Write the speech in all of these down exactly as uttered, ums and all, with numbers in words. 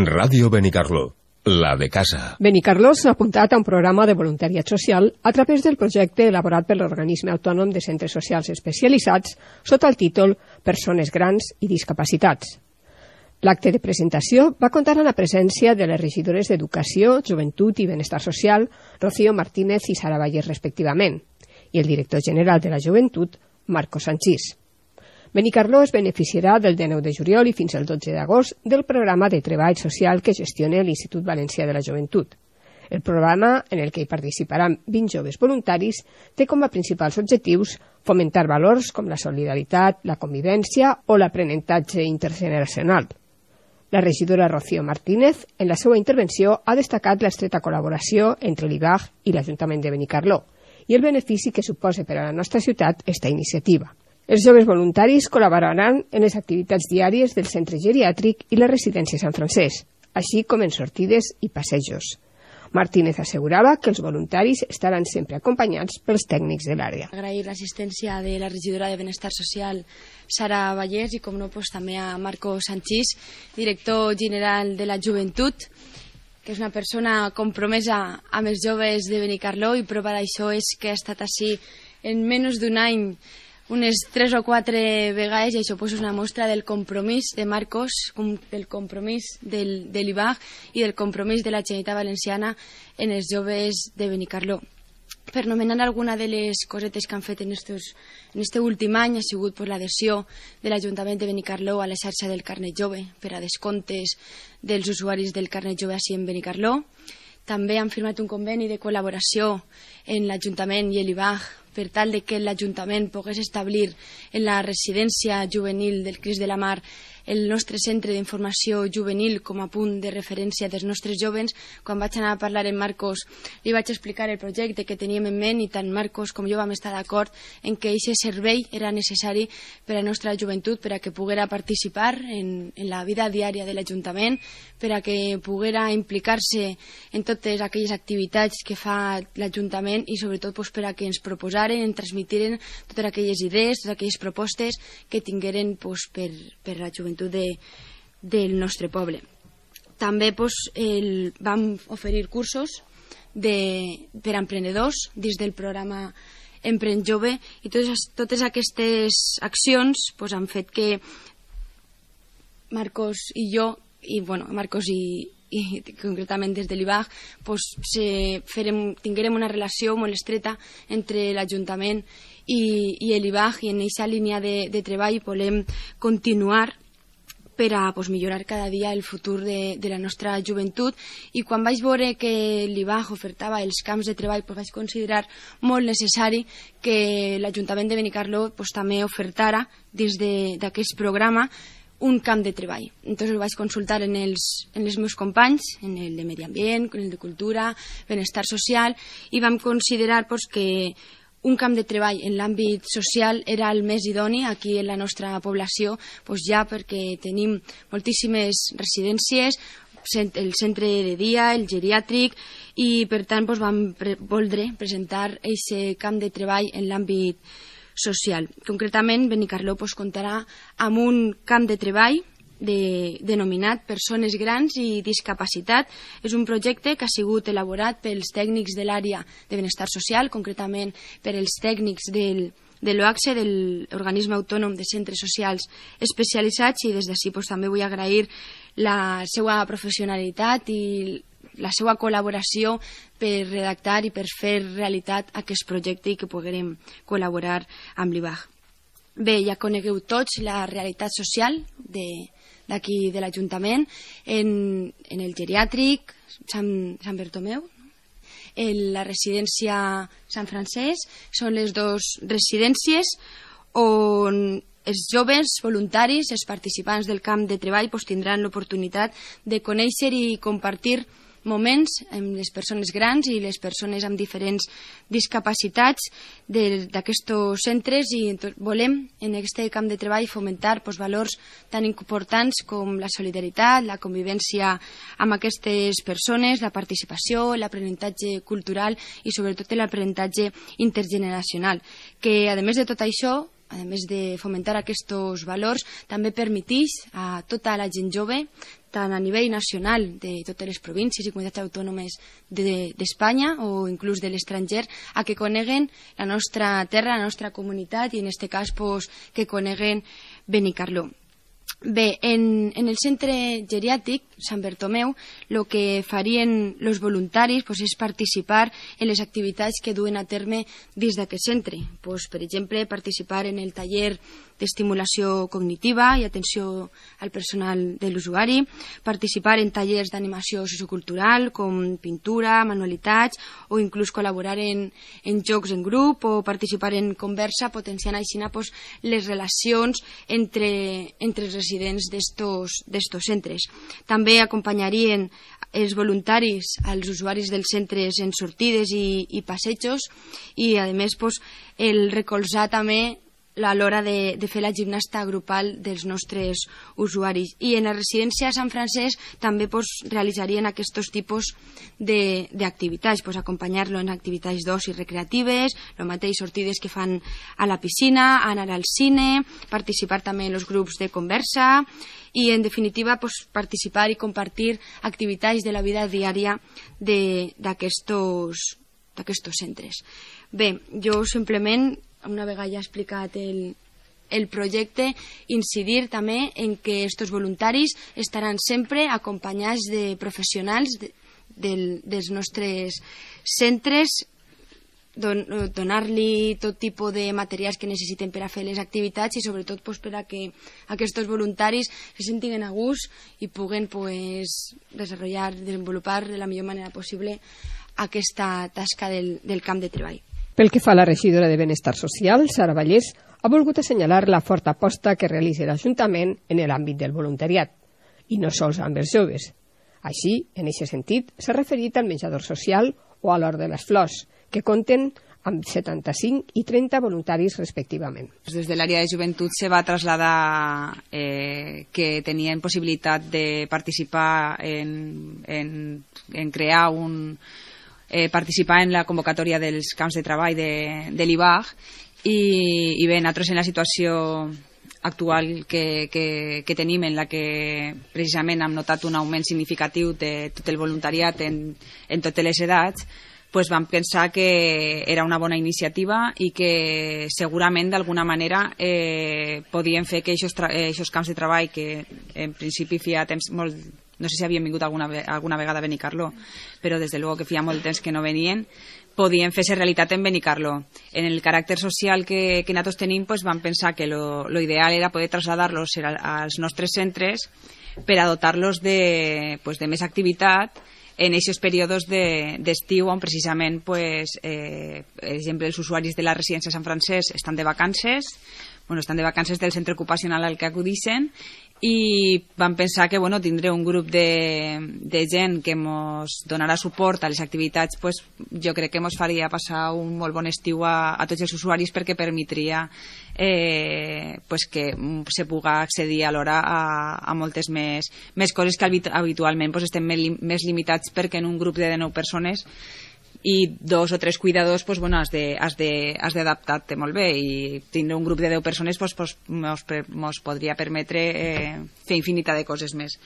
Ràdio Benicarló, la de casa. Benicarló s'ha apuntat a un programa de voluntariat social a través del projecte elaborat per l'Organisme Autònom de Centres Socials Especialitzats sota el títol Persones Grans i Discapacitats. L'acte de presentació va comptar amb la presència de les regidores d'Educació, Joventut i Benestar Social, Rocío Martínez i Sara Vallès, respectivament, i el director general de la Joventut, Marco Sanchís. Benicarló es beneficiarà del dinou de juliol i fins al dotze d'agost del programa de treball social que gestiona l'Institut Valencià de la Joventut. El programa, en el que hi participaran vint joves voluntaris, té com a principals objectius fomentar valors com la solidaritat, la convivència o l'aprenentatge intergeneracional. La regidora Rocío Martínez, en la seva intervenció, ha destacat l'estreta col·laboració entre l'I B A G i l'Ajuntament de Benicarló i el benefici que suposa per a la nostra ciutat esta iniciativa. Els joves voluntaris col·laboraran en les activitats diàries del centre geriàtric i la residència Sant Francesc, així com en sortides i passejos. Martínez assegurava que els voluntaris estaran sempre acompanyats pels tècnics de l'àrea. Agrair l'assistència de la regidora de Benestar Social, Sara Vallès, i com no, pues, també a Marco Sanchís, director general de la Joventut, que és una persona compromesa amb els joves de Benicarló, i prova d'això és que ha estat així en menys d'un any unes tres o quatre vegades, i això pues, és una mostra del compromís de Marcos, del compromís del, de l'I B A G i del compromís de la Generalitat Valenciana en els joves de Benicarló. Per nomenar alguna de les cosetes que han fet en aquest últim any ha sigut pues, l'adhesió de l'Ajuntament de Benicarló a la xarxa del carnet jove per a descomptes dels usuaris del carnet jove així en Benicarló. També han firmat un conveni de col·laboració en l'Ajuntament i l'I B A G per tal de que l'Ajuntament pogués establir en la residència juvenil del Crist de la Mar el nostre centre d'informació juvenil com a punt de referència dels nostres jovens. Quan vaig anar a parlar amb Marcos li vaig explicar el projecte que teníem en ment i tant Marcos com jo vam estar d'acord en que aquest servei era necessari per a la nostra joventut, per a que poguera participar en, en la vida diària de l'Ajuntament, per a que poguera implicar-se en totes aquelles activitats que fa l'Ajuntament i sobretot pues, per a que ens proposaren, ens transmitiren totes aquelles idees, totes aquelles propostes que tingueren pues, per, per a la joventut De, del nostre poble. També pues, el, vam oferir cursos de, per a emprenedors dins del programa Empren Jove, i totes, totes aquestes accions pues, han fet que Marcos i jo, i bueno, Marcos i, i concretament des de l'I B A G, pues, se, farem, tinguérem una relació molt estreta entre l'Ajuntament i, i l'I B A G, i en aquesta línia de, de treball volem continuar per a pues, millorar cada dia el futur de, de la nostra joventut. I quan vaig veure que l'I B A G ofertava els camps de treball, pues, vaig considerar molt necessari que l'Ajuntament de Benicarló pues, també ofertara dins d'aquest programa un camp de treball. Entonces ho vaig consultar en els, en els meus companys, en el de Medi Ambient, en el de Cultura, Benestar Social, i vam considerar pues, que un camp de treball en l'àmbit social era el més idoni aquí en la nostra població, doncs ja perquè tenim moltíssimes residències, el centre de dia, el geriàtric, i per tant doncs vam pre voldre presentar aquest camp de treball en l'àmbit social. Concretament, Benicarló doncs, comptarà amb un camp de treball De, denominat Persones Grans i Discapacitat. És un projecte que ha sigut elaborat pels tècnics de l'àrea de benestar social, concretament per els tècnics del, de l'O A C S E, de l'Organisme Autònom de Centres Socials Especialitzats, i des d'ací pues, també vull agrair la seva professionalitat i la seva col·laboració per redactar i per fer realitat aquest projecte i que poguérem col·laborar amb l'I B A G. Bé, ja conegueu tots la realitat social de d'aquí de l'Ajuntament, en, en el geriàtric Sant, Sant Bertomeu, en la residència Sant Francesc. Són les dues residències on els joves voluntaris, els participants del camp de treball, pues, tindran l'oportunitat de conèixer i compartir moments amb les persones grans i les persones amb diferents discapacitats d'aquests centres, i volem en aquest camp de treball fomentar pues, valors tan importants com la solidaritat, la convivència amb aquestes persones, la participació, l'aprenentatge cultural i sobretot l'aprenentatge intergeneracional, que a més de tot això a més de fomentar aquests valors, també permeteix a tota la gent jove, tant a nivell nacional de totes les províncies i comunitats autònomes d'Espanya o inclús de l'estranger, a que coneguen la nostra terra, la nostra comunitat i en aquest cas pues, que coneguen Benicarló. Bé, en, en el centre geriàtric Sant Bertomeu el que farien els voluntaris pues, és participar en les activitats que duen a terme dins d'aquest centre. Pues, per exemple, participar en el taller d'estimulació cognitiva i atenció al personal de l'usuari, participar en tallers d'animació sociocultural com pintura, manualitats o inclús col·laborar en, en jocs en grup o participar en conversa potenciant així pues, les relacions entre, entre els residents d'estos centres. També acompanyarien els voluntaris als usuaris dels centres en sortides i, i passejos i a més pues, el recolzar també a l'hora de, de fer la gimnasta grupal dels nostres usuaris. I en la residència a Sant Francesc també pues, realitzarien aquests tipus d'activitats, pues, acompanyar-lo en activitats d'oci recreatives, el mateix sortides que fan a la piscina, anar al cine, participar també en els grups de conversa i en definitiva pues, participar i compartir activitats de la vida diària d'aquests centres. Bé, jo simplement una vegada ja he explicat el, el projecte, incidir també en que aquests voluntaris estaran sempre acompanyats de professionals de, de, dels nostres centres, don, donar-li tot tipus de materials que necessiten per a fer les activitats i sobretot pues, per a que aquests voluntaris se sentin a gust i puguen pues, desenvolupar, desenvolupar de la millor manera possible aquesta tasca del, del camp de treball. Pel que fa a la regidora de Benestar Social, Sara Vallès, ha volgut assenyalar la forta aposta que realitza l'Ajuntament en l'àmbit del voluntariat, i no sols amb els joves. Així, en aquest sentit, s'ha referit al menjador social o a l'Hort de les Flors, que compten amb setanta-cinc i trenta voluntaris respectivament. Des de l'àrea de joventut se va traslladar eh, que tenien possibilitat de participar en, en, en crear un... Eh, participar en la convocatòria dels camps de treball de, de l'I B A G i, i bé, nosaltres en la situació actual que, que, que tenim en la que precisament hem notat un augment significatiu de tot el voluntariat en, en totes les edats, pues vam pensar que era una bona iniciativa i que segurament d'alguna manera eh, podien fer que aquests camps de treball que en principi feia temps molt, no sé si havien vingut alguna, alguna vegada a Benicarló, però des de luego que feia molt temps que no venien, podien fer-se realitat en Benicarló. En el caràcter social que, que nosaltres tenim, pues, vam pensar que lo, lo ideal era poder traslladar-los als nostres centres per a dotar-los de, pues, de més activitat en aquests períodes d'estiu on precisament, pues, eh, per exemple, els usuaris de la residència de Sant Francesc estan de vacances, bueno, estan de vacances del centre ocupacional al que acudixen i vam pensar que bueno, tindré un grup de, de gent que ens donarà suport a les activitats, pues, jo crec que ens faria passar un molt bon estiu a, a tots els usuaris perquè permetria eh, pues que se puga accedir alhora a, a moltes més, més coses que habitualment pues, estem més limitats perquè en un grup de dinou persones i dos o tres cuidadors pues, bueno, has d'adaptar-te molt bé i tindre un grup de deu persones pues, pues, mos, mos podria permetre eh, fer infinitat de coses més.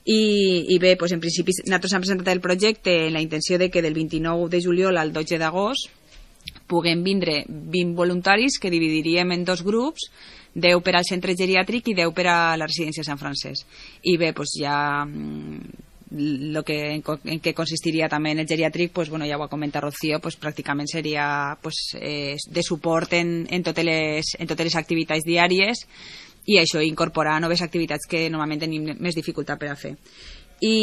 I, i bé, pues, en principi nosaltres hem presentat el projecte en la intenció de que del vint-i-nou de juliol al dotze d'agost puguem vindre vint voluntaris que dividiríem en dos grups, deu per al centre geriàtric i deu per a la residència de Sant Francesc. I bé, pues, ja lo que, en, en què consistiria també en el geriàtric, pues, bueno, ja ho ha comentat Rocío, pues, pràcticament seria pues, eh, de suport en, en, totes les, en totes les activitats diàries i això, incorporar noves activitats que normalment tenim més dificultat per a fer. I,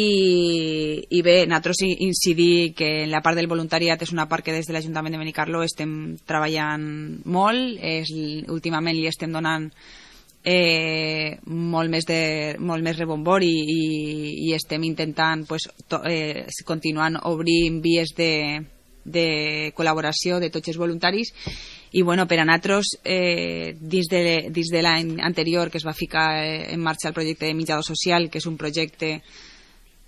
i bé, nosaltres incidir que en la part del voluntariat és una part que des de l'Ajuntament de Benicarló estem treballant molt, és, últimament li estem donant Eh, molt més de molt més rebombori i, i estem intentant pues, to, eh, continuant obrint vies de, de col·laboració de tots els voluntaris i bueno, per a nosaltres eh, dins de, dins de l'any anterior que es va ficar en marxa el projecte de menjador social, que és un projecte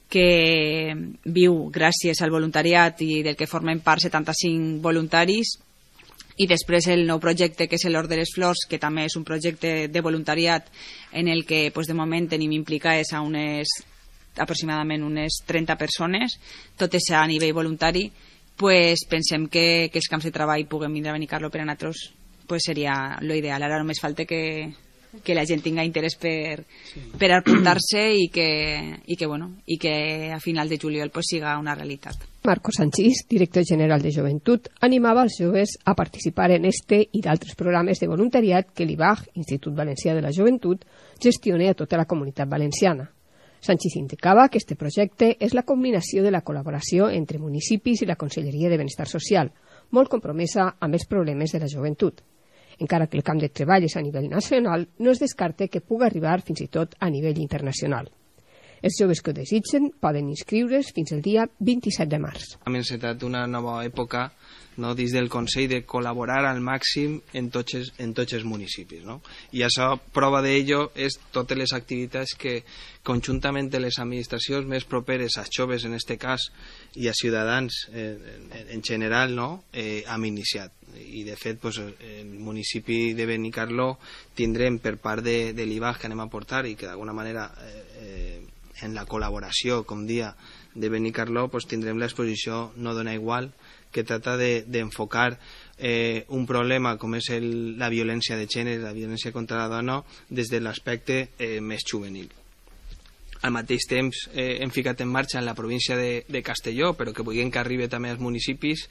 que viu gràcies al voluntariat i del que formen part setanta-cinc voluntaris, I després el nou projecte, que és l'Hort de les Flors, que també és un projecte de voluntariat en el que pues, de moment tenim implicades a unes, aproximadament unes trenta persones, tot és a nivell voluntari, pues, pensem que, que els camps de treball puguem vindre a Benicarló per a nosaltres, pues, seria l'ideal. Ara només falta que, que la gent tinga interès per, per apuntar-se i que, i, que, bueno, i que a final de juliol pues, siga una realitat. Marco Sanchís, director general de Joventut, animava els joves a participar en este i d'altres programes de voluntariat que l'I B A G, Institut Valencià de la Joventut, gestiona a tota la comunitat valenciana. Sanchís indicava que este projecte és la combinació de la col·laboració entre municipis i la Conselleria de Benestar Social, molt compromesa amb els problemes de la joventut. Encara que el camp de treball és a nivell nacional, no es descarta que pugui arribar fins i tot a nivell internacional. Els joves que ho desitgen poden inscriure's fins al dia vint-i-set de març. Hem encetat una nova època, no, dins del Consell, de col·laborar al màxim en tots els, en tots els municipis. No? I això, prova d'ello, és totes les activitats que conjuntament de les administracions més properes als joves, en este cas, i a ciutadans eh, en, en general, no? eh, hem iniciat. I de fet pues, el municipi de Benicarló tindrem per part de, de l'I B A G que anem a portar i que d'alguna manera eh, eh, en la col·laboració, com dia, de Benicarló, pues, tindrem l'exposició No dona igual, que trata d'enfocar de, eh, un problema com és el, la violència de gènere, la violència contra la dona, des de l'aspecte eh, més juvenil. Al mateix temps eh, hem ficat en marxa en la província de, de Castelló, però que vulguem que arribi també als municipis,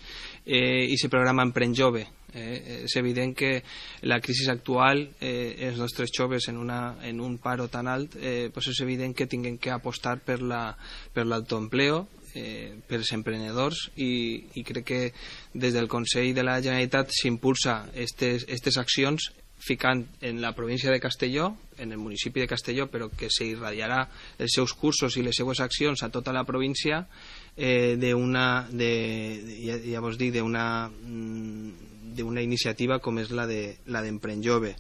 eh, i se programa Emprèn Jove. Eh, és evident que la crisi actual, eh, els nostres joves en, una, en un paro tan alt, eh, pues és evident que tinguem que apostar per l'autoempleo, eh, per els emprenedors, i, i crec que des del Consell de la Generalitat s'impulsa aquestes accions ficant en la província de Castelló, en el municipi de Castelló, però que s'irradiarà els seus cursos i les seues accions a tota la província, eh, d'una, de, ja, ja vos dic, d'una d'una iniciativa com és la de la d'Emprèn Jove.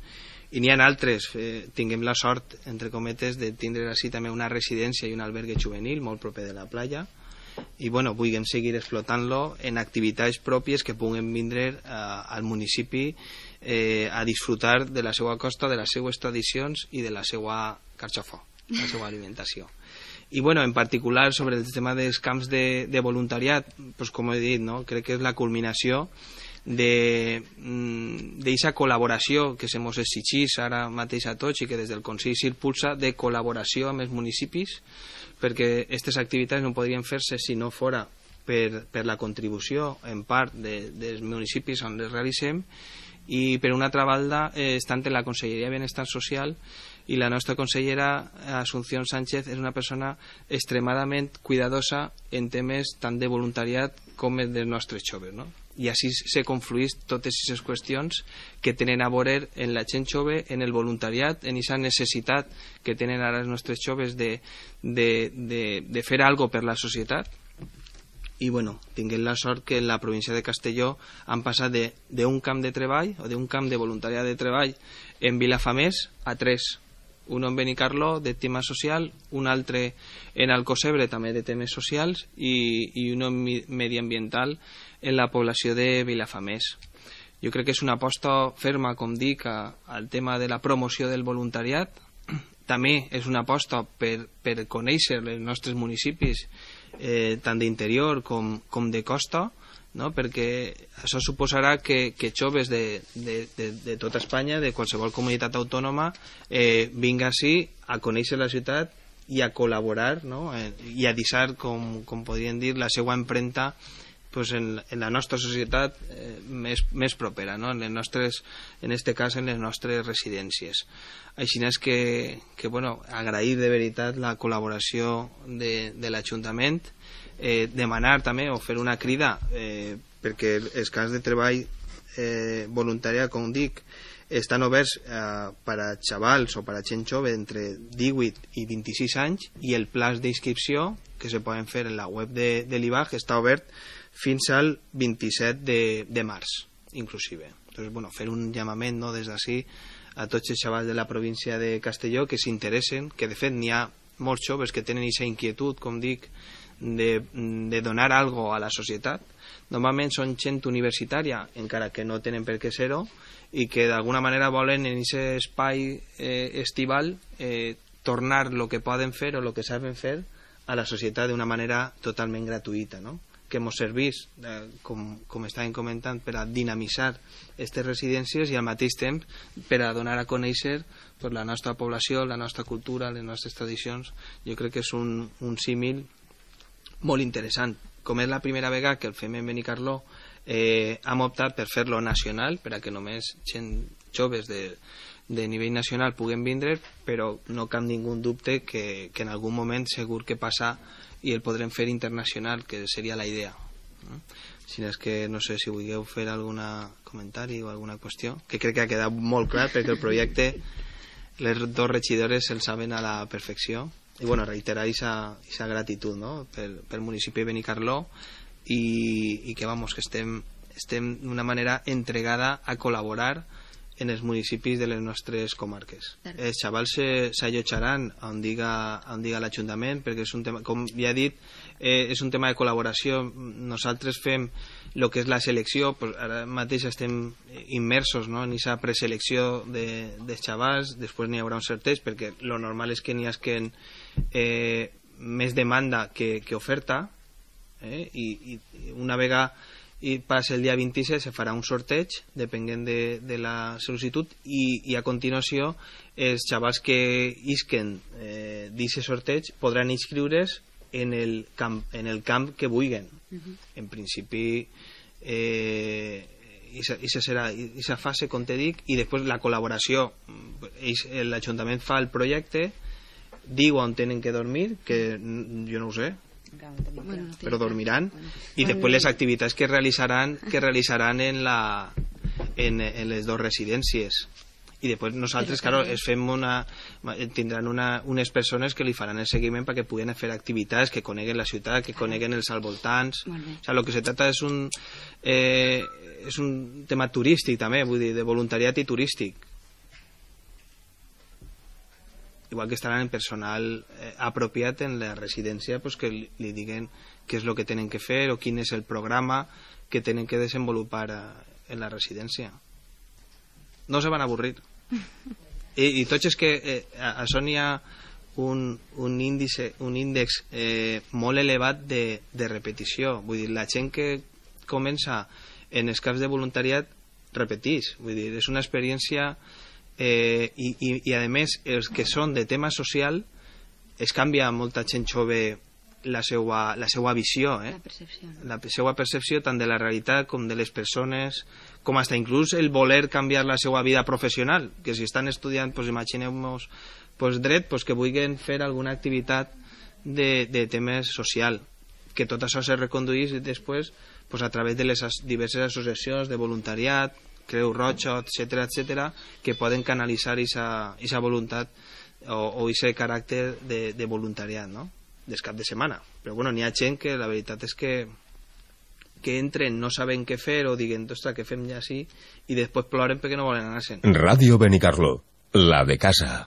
I n'hi ha altres, eh, tinguem la sort, entre cometes, de tindre així també una residència i un albergue juvenil molt proper de la platja, i bueno, vulguem seguir explotant-lo en activitats pròpies que puguen vindre eh, al municipi eh, a disfrutar de la seva costa, de les seues tradicions i de la seva carxofó, la seva alimentació. I bueno, en particular sobre el tema dels camps de, de voluntariat, pues, com he dit, no? Crec que és la culminació d'aquesta col·laboració que se mos exigís ara mateix a tots i que des del Consell s'impulsa de col·laboració amb els municipis, perquè aquestes activitats no podrien fer-se si no fora per, per la contribució en part de, dels municipis on les realitzem, i per una altra banda eh, estant en la Conselleria de Benestar Social, i la nostra consellera Asunción Sánchez és una persona extremadament cuidadosa en temes tant de voluntariat com dels nostres joves, no? I així se confluís totes aquestes qüestions que tenen a veure en la gent jove, en el voluntariat, en aquesta necessitat que tenen ara els nostres joves de, de, de, de fer alguna cosa per la societat. I bueno, tinguem la sort que en la província de Castelló han passat d'un camp de treball o d'un camp de voluntariat de treball en Vilafamés a tres. Un en Benicarló de tema social, un altre en Alcocebre també de temes socials, i, i un mediambiental en la població de Vilafamés. Jo crec que és una aposta ferma, com dic, a, al tema de la promoció del voluntariat. També és una aposta per, per conèixer els nostres municipis, eh, tant d'interior com, com de costa, no? Perquè això suposarà que, que joves de, de, de, de tota Espanya, de qualsevol comunitat autònoma, eh, vinga així a conèixer la ciutat i a col·laborar, no? eh, i a deixar, com, com podríem dir, la seva empremta pues, en, en la nostra societat eh, més, més propera, no? en les nostres, en este cas en les nostres residències. Així és que, que bueno, agrair de veritat la col·laboració de, de l'Ajuntament, eh, demanar també o fer una crida eh, perquè els camps de treball eh, voluntària, com dic, estan oberts eh, per a xavals o per a gent jove entre divuit i vint-i-sis anys, i el plaç d'inscripció que se poden fer en la web de, de l'I B A G està obert fins al vint-i-set de, de març inclusive. Entonces, bueno, fer un llamament, no, des d'ací a tots els xavals de la província de Castelló que s'interessen, que de fet n'hi ha molts joves que tenen aquesta inquietud, com dic, de, de donar algo a la societat, normalment són gent universitària, encara que no tenen per què ser-ho, i que d'alguna manera volen en aquest espai eh, estival eh, tornar el que poden fer o el que saben fer a la societat d'una manera totalment gratuïta, no? Que ens servís, eh, com, com estàvem comentant, per a dinamitzar aquestes residències i al mateix temps per a donar a conèixer pues, la nostra població, la nostra cultura, les nostres tradicions. Jo crec que és un, un símil molt interessant. Com és la primera vegada que el fem en Benicarló, eh, hem optat per fer-lo nacional, per a que només gent joves de, de nivell nacional puguen vindre, però no cap ningú dubte que, que en algun moment segur que passa i el podrem fer internacional, que seria la idea. Si és que no sé si vulgueu fer algun comentari o alguna qüestió, que crec que ha quedat molt clar, perquè el projecte les dos regidores el saben a la perfecció. I bueno, reiterar aquesta gratitud, no? pel, pel municipi de Benicarló i, i que, vamos, que estem, estem d'una manera entregada a col·laborar en els municipis de les nostres comarques. Els xavals s'allotjaran on diga, on diga l'Ajuntament, perquè és un tema, com ja he dit, eh, és un tema de col·laboració. Nosaltres fem el que és la selecció, pues ara mateix estem immersos, no?, en aquesta preselecció de, de xavals, després n'hi haurà un sorteig, perquè lo normal és que n'hi hagi eh, més demanda que, que oferta, eh? I, i una vegada i passa el dia vint-i-set se farà un sorteig depenent de, de la sol·licitud i, i a continuació els xavals que isquen eh, d'aquest sorteig podran inscriure's en el camp, en el camp que vulguin. Uh-huh. En principi eh, aquesta serà aquesta fase, com te dic, i després la col·laboració. L'Ajuntament fa el projecte, diu on tenen que dormir, que jo no ho sé, bueno, però dormiran, i després les activitats que realitzaran que realitzaran en, la, en, en les dues residències. I després nosaltres, claro, es fem una, tindran una, unes persones que li faran el seguiment perquè puguen fer activitats, que coneguen la ciutat, que coneguen els voltants. O sea, lo que se trata és un eh, és un tema turístic també, vull dir, de voluntariat i turístic. Igual que estaran en personal eh, apropiat en la residència, pues que li, li diguen què és el que tenen que fer o quin és el programa que tenen que desenvolupar a, en la residència. No se van a avorrir. I, i tots és que eh, a, a Son hi ha un, un, índice, un índex eh, molt elevat de, de repetició. Vull dir, la gent que comença en els caps de voluntariat repeteix. Vull dir, és una experiència eh, i, i, i a més els que són de tema social es canvia molta gent jove la seva, la seva visió, eh? La percepció. La seva percepció tant de la realitat com de les persones, com hasta inclús el voler canviar la seva vida professional, que si estan estudiant, pues imagineu-vos pues, dret, pues, que vulguin fer alguna activitat de, de temes social, que tot això se reconduís després pues, a través de les diverses associacions de voluntariat, Creu Roja, etcètera, etcètera, que poden canalitzar aquesta voluntat o aquest caràcter de, de voluntariat, no?, des cap de setmana. Però bueno, n'hi ha gent que la veritat és que que entren, no saben què fer o diguen, ostres, què fem ja així, i després ploren perquè no volen anar-se'n. Ràdio Benicarló, la de casa.